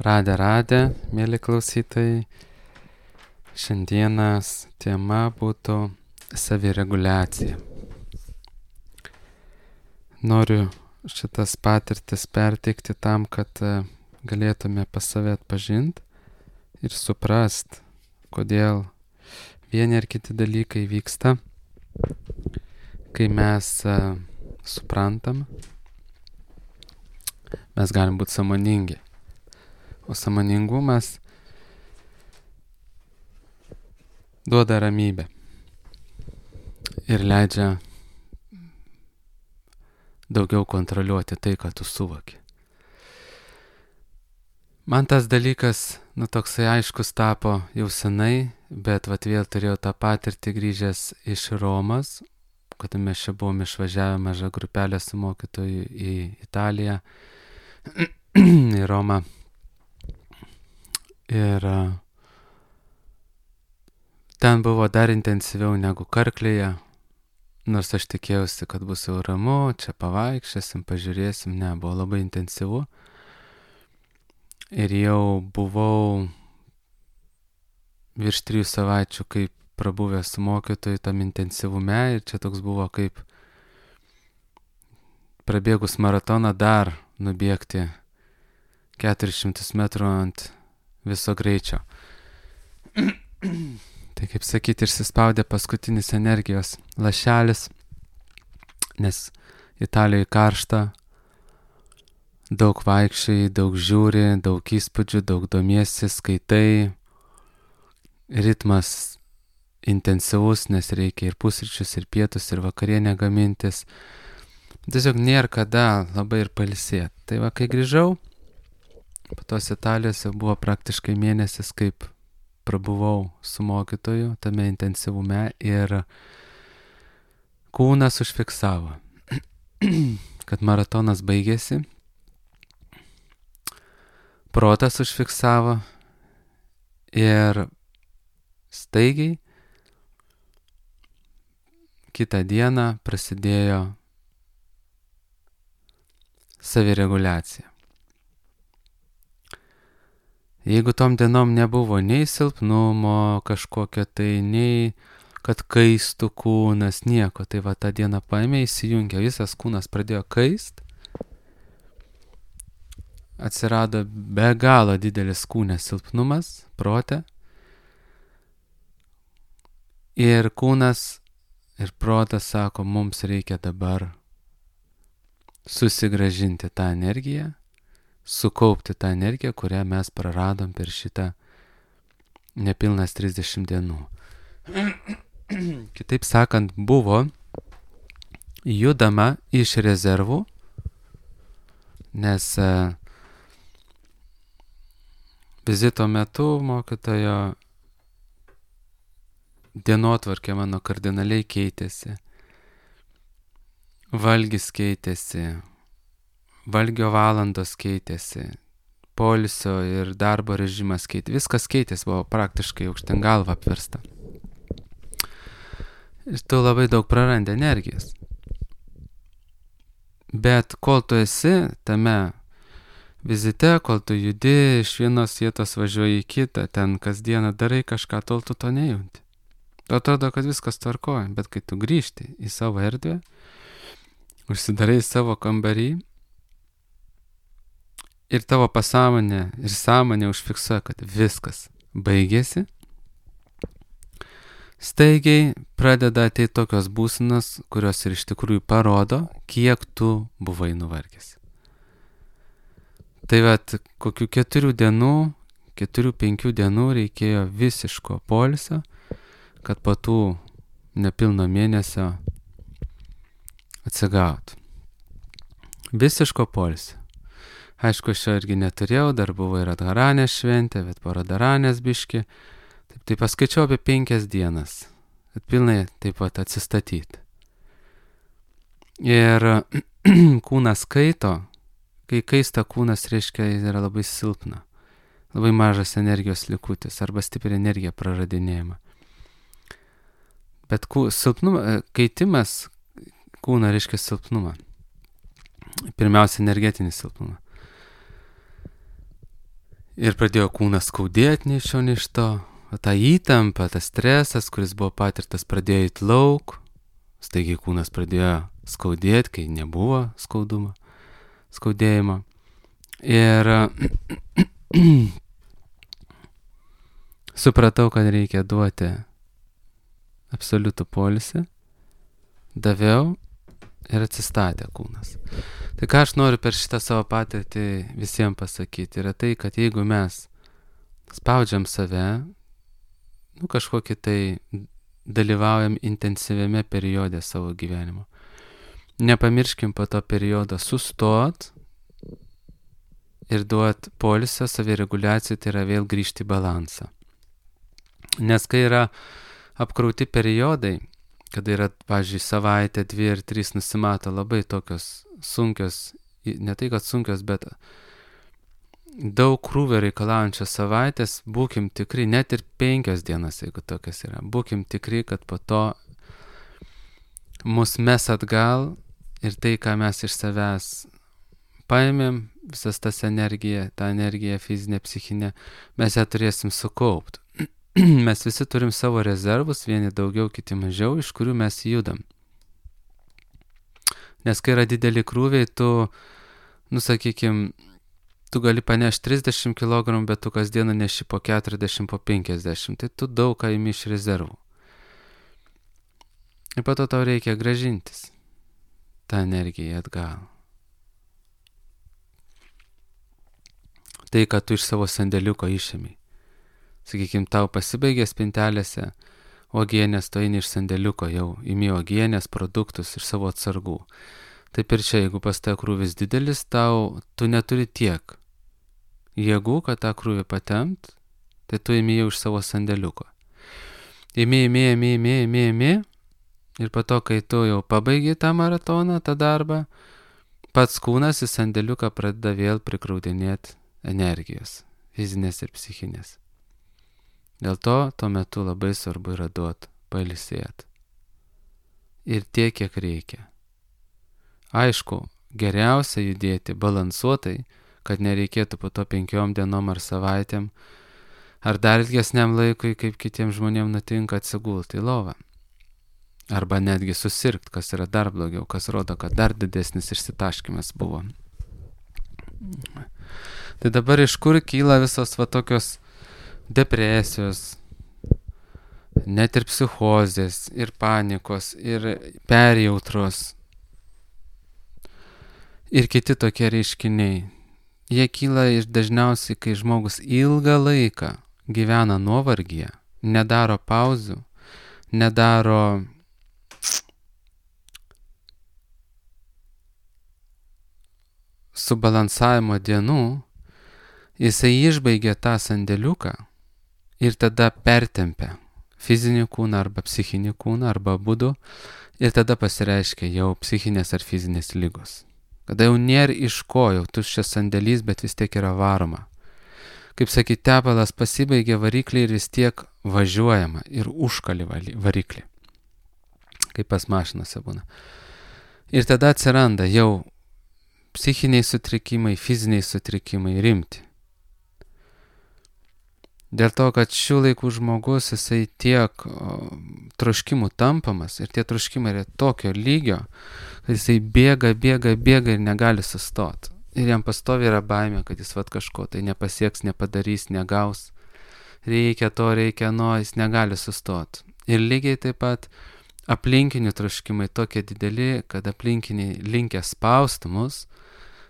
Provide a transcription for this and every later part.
Radę, mėly klausytojai. Šiandienas tema būtų savireguliacija. Noriu šitas patirtis perteikti tam, kad galėtume pas save atpažinti ir suprast, kodėl vieni ar kiti dalykai vyksta, kai mes suprantam, mes galim būti sąmoningi. O sąmoningumas duoda ramybę ir leidžia daugiau kontroliuoti tai, ką tu suvoki. Man tas dalykas, toksai aiškus tapo jau senai, bet vėl turėjau tą patirtį grįžęs iš Romos, kada mes čia buvom išvažiavę mažą grupelę su mokytoju į Italiją, į Romą. Ir ten buvo dar intensyviau negu Karklėje, nors aš tikėjausi, kad bus jau ramu, čia pavaikščiosim, pažiūrėsim, ne, buvo labai intensyvu. Ir jau buvau virš 3 savaičių kaip prabuvęs su mokytoju tam intensyvume ir čia toks buvo kaip prabėgus maratoną dar nubėgti 400 metrų ant viso greičio. Tai kaip sakyti, išsispaudė paskutinis energijos lašelis, nes Italijoje karšta, daug vaikščiai, daug žiūri, daug įspūdžių, daug domiesi, skaitai, ritmas intensyvus, nes reikia ir pusryčius, ir pietus, ir vakarienę gamintis. Tiesiog nėra kada labai ir pailsėti. Tai kai grįžau, po tos Italijos jau buvo praktiškai mėnesis, kaip prabuvau su mokytoju tame intensyvume ir kūnas užfiksavo, kad maratonas baigėsi, protas užfiksavo ir staigiai kitą dieną prasidėjo savireguliacija. Jeigu tom dienom nebuvo nei silpnumo kažkokio, tai nei kad kaistų kūnas, nieko, tai tą dieną paėmė, įsijungė, visas kūnas pradėjo kaist, atsirado be galo didelis kūnės silpnumas, prote, ir kūnas ir protas sako, mums reikia dabar susigrąžinti tą energiją, sukaupti tą energiją, kurią mes praradom per šitą nepilnas 30 dienų. Kitaip sakant, buvo judama iš rezervų, nes vizito metu mokytojo dienotvarkė mano kardinaliai keitėsi, valgis keitėsi, valgio valandos keitėsi, poilsio ir darbo režimas keitėsi, viskas keitėsi, buvo praktiškai aukštyn galva apversta. Ir tu labai daug prarandi energijos. Bet kol tu esi tame vizite, kol tu judi iš vienos vietos važiuoji į kitą, ten kasdieną darai kažką, tol tu to nejunti. Tu atrodo, kad viskas tvarkoja, bet kai tu grįžti į savo erdvę, užsidarai savo kambarį, ir tavo pasąmonė ir sąmonė užfiksuoja, kad viskas baigėsi, staigiai pradeda ateiti tokios būsenos, kurios ir iš tikrųjų parodo, kiek tu buvai nuvargęs. Tai kokių 4-5 dienų reikėjo visiško poilsio, kad po tų nepilno mėnesio atsigautų. Visiško poilsio. Aišku, aš jo irgi neturėjau, dar buvo ir Radharanės šventė, bet po Radharanės biški. Tai paskaičiau apie 5 dienas, kad pilnai taip pat atsistatyti. Ir kūnas kaito, kai kaista kūnas reiškia, jis yra labai silpna, labai mažas energijos likutis arba stipri energija praradinėjama. Bet kaitimas kūno reiškia silpnumą. Pirmiausia, energetinį silpnumą. Ir pradėjo kūnas skaudėti nei iš šio, nei iš to. O ta įtampa, tas stresas, kuris buvo patirtas, pradėjo įt lauk. Staigiai kūnas pradėjo skaudėti, kai nebuvo skaudėjimo. Ir supratau, kad reikia duoti absoliutų poilsį. Daviau ir atsistatė kūnas. Tai ką aš noriu per šitą savo patirtį visiems pasakyti, yra tai, kad jeigu mes spaudžiam save, kažkokį tai dalyvaujam intensyviame periode savo gyvenimo. Nepamirškim po to periodo sustot ir duot poilsio, savireguliacijai, tai yra vėl grįžti į balansą. Nes kai yra apkrauti periodai, kada yra, pavyzdžiui, savaitė, 2 ir 3 nusimato labai tokios sunkios, ne tai kad sunkios, bet daug krūvio reikalaujančios savaitės, būkim tikri, net ir 5 dienas, jeigu tokios yra, būkim tikri, kad po to mus mes atgal ir tai, ką mes iš savęs paėmėm, visas tas energija, tą energiją fizinę, psichinę, mes ją turėsim sukaupti. Mes visi turim savo rezervus, vieni daugiau, kiti mažiau, iš kurių mes judam. Nes kai yra dideli krūviai, tu, sakykim, tu gali panešti 30 kg, bet tu kasdieną neši po 40, po 50, tai tu daug ką imi iš rezervų. Ir po to tau reikia grąžintis tą energiją atgal. Tai, kad tu iš savo sandėliuko išėmei. Sakykim, tau pasibaigė spintelėse uogienės, tu eini iš sandėliuko, jau imi uogienės produktus iš savo atsargų. Taip ir čia, jeigu pas tave krūvis didelis, tu neturi tiek jėgų, kad tą krūvį patempt, tai tu imi jau iš savo sandėliuko. Imi, ir po to, kai tu jau pabaigi tą maratoną, tą darbą, pats kūnas į sandėliuką pradeda vėl prikraudinėti energijos, fizinės ir psichinės. Dėl to tuo metu labai svarbu yra duoti pailsėti. Ir tiek, kiek reikia. Aišku, geriausia judėti balansuotai, kad nereikėtų po to 5 dienom ar savaitėm, ar dar ilgesniam laikui, kaip kitiems žmonėms nutinka, atsigulti į lovą. Arba netgi susirgt, kas yra dar blogiau, kas rodo, kad dar didesnis išsitaškymas buvo. Tai dabar iš kur kyla visos tokios depresijos, net ir psichozės, ir panikos, ir perjautros, ir kiti tokie reiškiniai. Jie kyla dažniausiai, kai žmogus ilgą laiką gyvena nuovargyje, nedaro pauzių, nedaro subalansavimo dienų, jisai išbaigia tą sandėliuką ir tada pertempia fizinį kūną arba psichinį kūną arba abudu ir tada pasireiškia jau psichinės ar fizinės ligos. Kada jau nėra iš ko, jau tuščias sandėlys, bet vis tiek yra varoma. Kaip sakyti, tepalas pasibaigia variklį ir vis tiek važiuojama ir užkali variklį, kaip pas mašinose būna. Ir tada atsiranda jau psichiniai sutrikimai, fiziniai sutrikimai rimti. Dėl to, kad šių laikų žmogus, jisai tiek troškimų tampamas ir tie troškimai yra tokio lygio, kad jisai bėga ir negali sustoti. Ir jam pastovi yra baimė, kad jis kažko tai nepasieks, nepadarys, negaus. Reikia to, jis negali sustoti. Ir lygiai taip pat aplinkinių troškimai tokie dideli, kad aplinkiniai linkę spausti mus,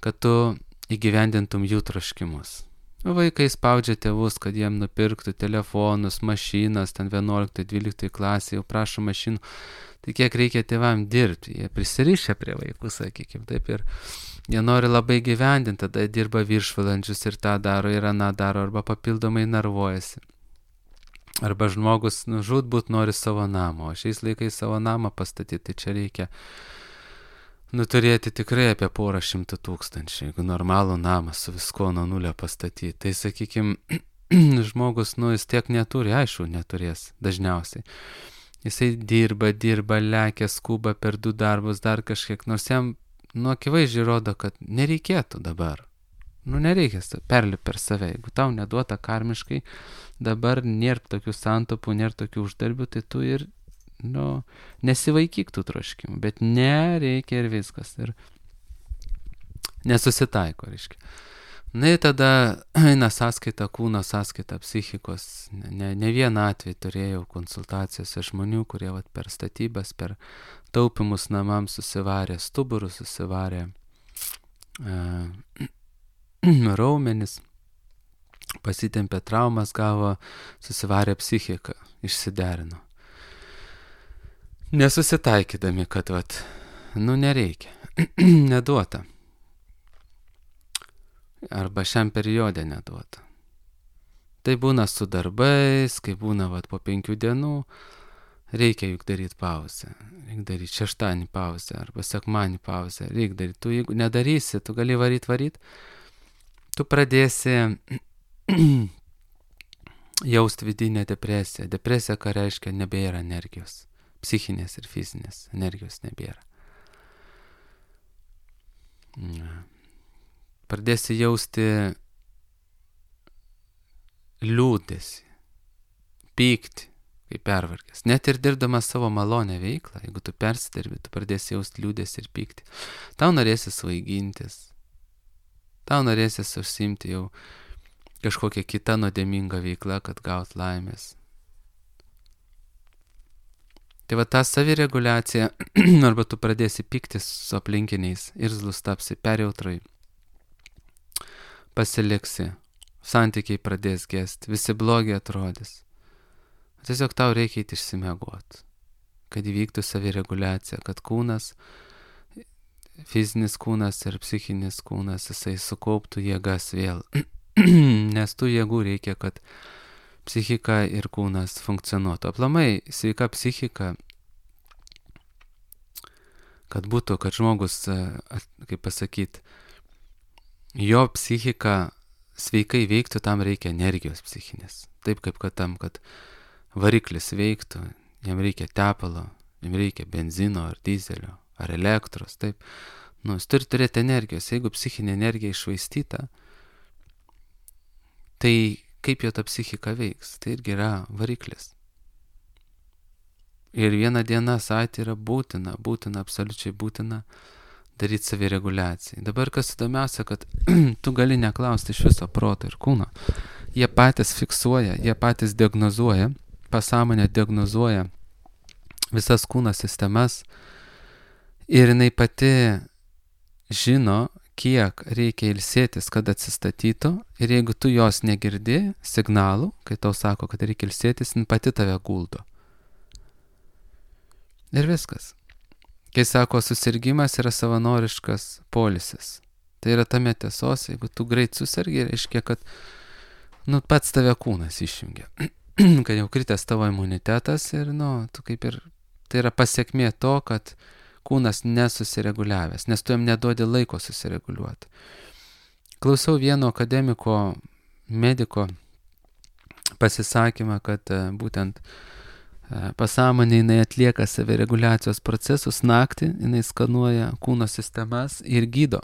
kad tu įgyvendintum jų troškimus. Vaikai spaudžia tėvus, kad jiem nupirktų telefonus, mašinas, ten 11-12 klasė, jau prašo mašinų. Tai kiek reikia tėvam dirbti, jie prisirišę prie vaikų, sakykim, taip ir jie nori labai gyvendinti, tada dirba viršvalandžius ir tą daro, ir aną daro, arba papildomai nervuojasi. Arba žmogus žūtbūt nori savo namą, o šiais laikais savo namą pastatyti, tai čia reikia turėti tikrai apie 100 000, jeigu normalų namą su visko nuo nulio pastatyti. Tai sakykim, žmogus, jis tiek neturi, aišku, neturės dažniausiai. Jisai dirba, lekia, skuba per 2 darbus, dar kažkiek, nors jam akivaizdžiai rodo, kad nereikėtų dabar Nereikia perlipti per save. Jeigu tau neduota karmiškai, dabar nėra tokių santopų, nėra tokių uždarbių, tai tu ir, nesivaikyk tų troškimų. Bet nereikia ir viskas. Ir nesusitaiko, reiškia. Ir tada eina sąskaita kūno, sąskaita psichikos. Ne vieną atvejį turėjau konsultacijose žmonių, kurie per statybas, per taupimus namams susivarė stuburus, susivarė raumenis, pasitempė traumas, gavo, susivarė psichiką, išsiderino. Nesusitaikydami, kad nereikia, neduota. Arba šiam periode neduota. Tai būna su darbais, kai būna po 5 dienų, reikia juk daryti pauzę. Reikia daryti šeštadienį pauzę arba sekmadienį pauzę. Reikia daryti. Tu jeigu nedarysi, tu gali varyt, tu pradėsi jausti vidinę depresiją. Depresija, ką reiškia, nebėra energijos. Psichinės ir fizinės energijos nebėra. Pradėsi jausti liūdesį, pyktį, kaip pervargęs. Net ir dirbdamas savo malonę veiklą, jeigu tu persidirbi, tu pradėsi jausti liūdesį ir pyktį. Tau norėsi svaigintis, tau norėsi užsiimti jau kažkokią kitą nuodėmingą veiklą, kad gaut laimės. Tai ta savireguliacija, arba tu pradėsi pyktis su aplinkiniais, irzlus tapsi, perjautrai, pasiliksi, santykiai pradės gesti, visi blogi atrodys. Tiesiog tau reikia eiti išsimiegoti, kad įvyktų savireguliacija, kad kūnas, fizinis kūnas ir psichinis kūnas, jisai sukauptų jėgas vėl. Nes tų jėgų reikia, kad psichika ir kūnas funkcionuotų. Aplamai, sveika psichika, kad būtų, kad žmogus, kaip pasakyti, jo psichika sveikai veiktų, tam reikia energijos psichinės. Taip kaip kad variklis veiktų, jam reikia tepalo, jam reikia benzino ar dizelio, ar elektros, taip. Jis turi turėti energijos. Jeigu psichinė energija iššvaistyta, tai kaip jo ta psichika veiks? Tai irgi yra variklis. Ir vieną dieną savaitę yra būtina, absoliučiai būtina daryti savireguliaciją. Dabar kas įdomiausia, kad tu gali neklausti iš viso proto ir kūno. Jie patys fiksuoja, jie patys diagnozuoja, pasąmonė diagnozuoja visas kūno sistemas ir jinai pati žino, kiek reikia ilsėtis, kad atsistatytų, ir jeigu tu jos negirdi signalų, kai tau sako, kad reikia ilsėtis, jinai pati tave guldo. Ir viskas. Kai sako, susirgimas yra savanoriškas poilsis. Tai yra tame tiesos, jeigu tu greit susirgi, reiškia, kad pats tave kūnas išjungia. Kad jau kritęs tavo imunitetas ir, tu kaip ir, tai yra pasiekmė to, kad kūnas nesusireguliavęs, nes tu jam neduodi laiko susireguliuoti. Klausiau vieno akademiko, mediko pasisakymą, kad būtent pasąmonė jinai atlieka savireguliacijos procesus naktį, jinai skanuoja kūno sistemas ir gydo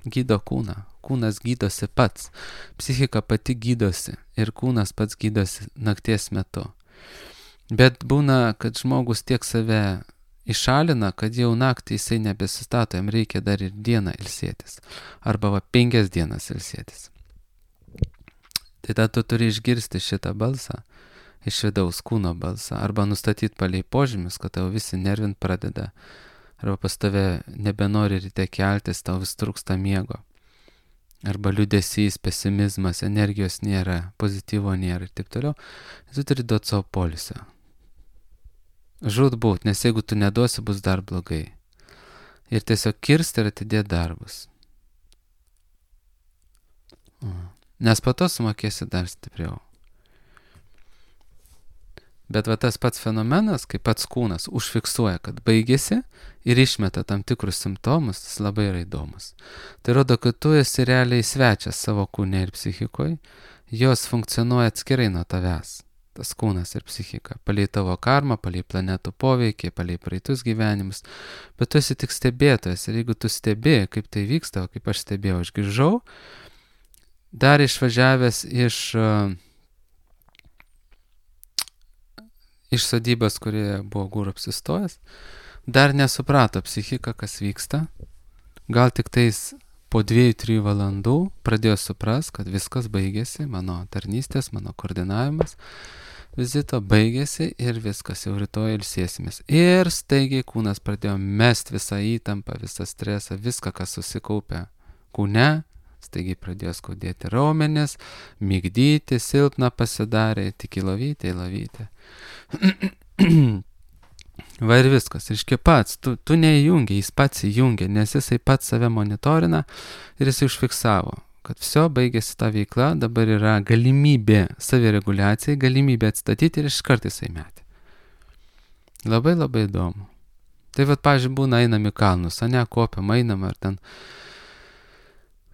kūną. Kūnas gydosi pats, psichika pati gydosi ir kūnas pats gydosi nakties metu. Bet būna, kad žmogus tiek save išalina, kad jau naktį jisai nebesistato, jam reikia dar ir dieną ilsėtis. Arba 5 dienas ilsėtis. Tai tada tu turi išgirsti šitą balsą, iš vidaus kūno balsą, arba nustatyti palei požymius, kad tau visi nervint pradeda, arba pas tave nebenori ryte keltis, tau vis trūksta miego, arba liūdesys, pesimizmas, energijos nėra, pozityvo nėra ir taip toliau. Tu turi duoti savo poilsio. Žūtbūt, nes jeigu tu neduosi, bus dar blogai. Ir tiesiog kirsti ir atidėti darbus. Nes po to sumokėsi dar stipriau. Bet tas pats fenomenas, kai pats kūnas užfiksuoja, kad baigėsi ir išmeta tam tikrus simptomus, jis labai yra įdomus. Tai rodo, kad tu esi realiai svečias savo kūne ir psichikoje, jos funkcionuoja atskirai nuo tavęs, tas kūnas ir psichika, palei tavo karmą, palei planetų poveikį, palei praeitus gyvenimus, bet tu esi tik stebėtojas ir jeigu tu stebi, kaip tai vyksta, kaip aš stebėjau, aš grįžau dar išvažiavęs iš sodybos, kurioje buvo Guru apsistojęs, dar nesuprato psichika, kas vyksta. Gal tik tais po 2-3 valandų pradėjo supras, kad viskas baigėsi, mano tarnystės, mano koordinavimas vizito baigėsi ir viskas, jau rytoj ilsėsimės. Ir staigiai kūnas pradėjo mest visą įtampą, visą stresą, viską, kas susikaupė kūne. Staigiai pradėjo skaudėti raumenis, migdyti, silpna pasidarė, tik į lovytę. Va ir viskas, reiškia pats, tu neįjungi, jis pats įjungia, nes jisai pats save monitorina ir jisai užfiksavo, kad viso baigėsi ta veikla, dabar yra galimybė savireguliacijai, galimybė atstatyti ir iš karto jisai metė. Labai labai įdomu. Tai vat, pavyzdžiui, būna einam į kalnus, ane, kopiam, einam ar ten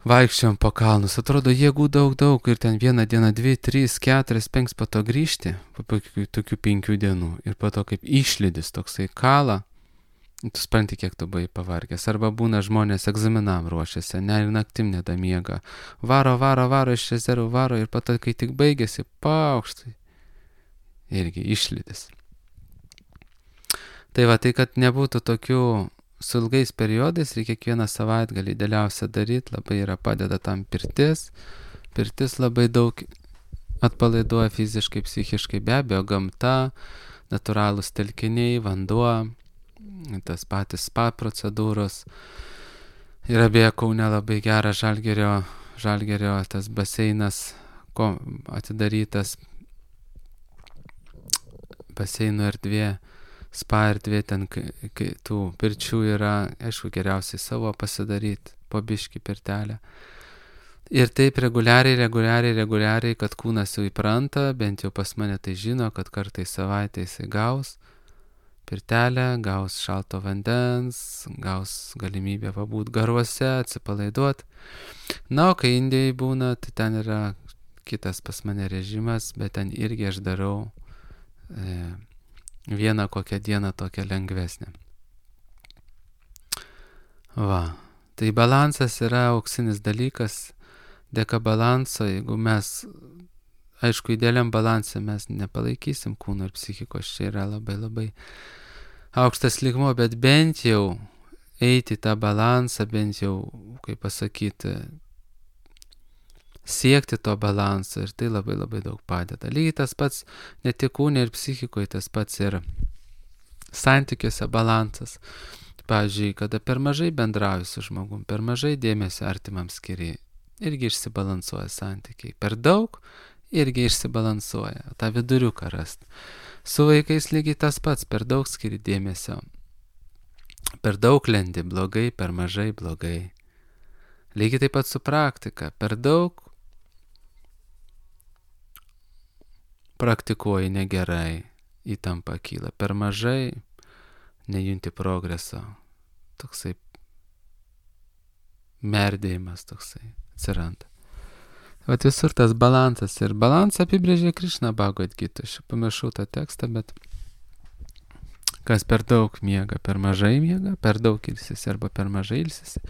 vaikščiom po kalnus, atrodo jėgų daug ir ten 1 dieną, 2, 3, 4, 5 po to grįžti, po tokių 5 dienų ir po to kaip išlydis toksai kala, tu supranti, kiek tu buvai pavargęs. Arba būna žmonės egzaminam ruošiasi, ne, ir naktim nedamiega, varo iš rezervų varo ir po to, kai tik baigėsi, paukštai, irgi išlydis. Tai va, tai kad nebūtų tokių su ilgais periodais, reikia kiekvieną savaitgalį idealiausia daryti, labai yra padeda tam pirtis. Pirtis labai daug atpalaiduoja fiziškai, psichiškai, be abejo, gamta, natūralūs telkiniai, vanduo, tas patys spa procedūros. Yra beje Kaune labai geras Žalgirio tas baseinas atidarytas, baseino erdvė. Spa erdvė, ten tų pirčių yra, aišku, geriausiai savo pasidaryti, po biškį pirtelę. Ir taip reguliariai, kad kūnas jau įpranta, bent jau pas mane tai žino, kad kartais savaitę jisai gaus pirtelę, gaus šalto vandens, gaus galimybę pabūti garuose, atsipalaiduoti. Na, o kai Indijai būna, tai ten yra kitas pas mane režimas, bet ten irgi aš darau vieną kokią dieną tokią lengvesnę. Va, tai balansas yra auksinis dalykas. Dėka balanso, jeigu mes, aišku, idealiam balansė mes nepalaikysim kūno ir psichikos, čia yra labai labai aukštas lygmuo, bet bent jau eiti tą balansą, bent jau, kaip pasakyti, siekti to balanso ir tai labai labai daug padeda. Lygiai tas pats ne tik kūne ir psichikoje, tas pats ir santykiuose balansas. Pavyzdžiui, kada per mažai bendrauji su žmogum, per mažai dėmesio artimam skiri, irgi išsibalansuoja santykiai. Per daug irgi išsibalansuoja, tą viduriuką rast. Su vaikais lygiai tas pats, per daug skiri dėmesio. Per daug lendi blogai, per mažai blogai. Lygiai taip pat su praktika, per daug praktikuoji negerai, įtampa kyla, per mažai nejunti progreso, toksai merdėjimas toksai atsiranda. Vat visur tas balansas ir balansą apibrėžė Krišna Bhagavad Gita. Aš pamiršau tą tekstą, bet kas per daug miega, per mažai miega, per daug ilsisi arba per mažai ilsisi,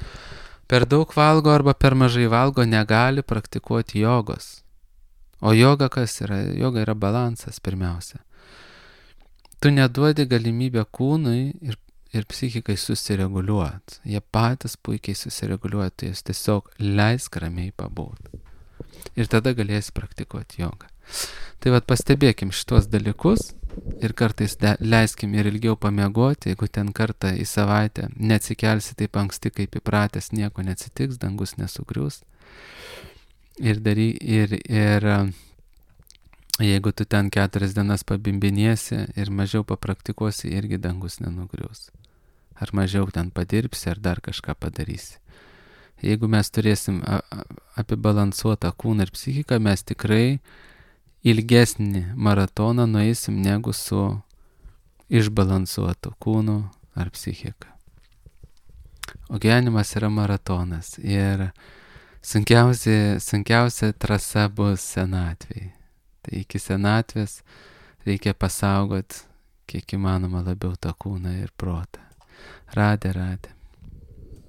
per daug valgo arba per mažai valgo, negali praktikuoti jogos. O joga kas yra? Joga yra balansas pirmiausia. Tu neduodi galimybę kūnui ir psichikai susireguliuoti. Jie patys puikiai susireguliuoja, tai jūs tiesiog leisk ramiai pabūti. Ir tada galėsi praktikuoti jogą. Tai vat pastebėkim šitos dalykus ir kartais leiskim ir ilgiau pamiegoti, jeigu ten kartą į savaitę neatsikelsi taip anksti, kaip įpratęs, nieko neatsitiks, dangus nesugrius. Ir jeigu tu ten 4 dienas pabimbinėsi ir mažiau papraktikuosi, irgi dangus nenugrius. Ar mažiau ten padirbsi, ar dar kažką padarysi. Jeigu mes turėsim apibalansuotą kūną ir psichiką, mes tikrai ilgesnį maratoną nueisim negu su išbalansuotu kūnu ar psichika. O gyvenimas yra maratonas ir sunkiausia trasa bus senatvėje. Tai iki senatvės reikia pasaugot kiek įmanoma labiau tą kūną ir protą. Radė.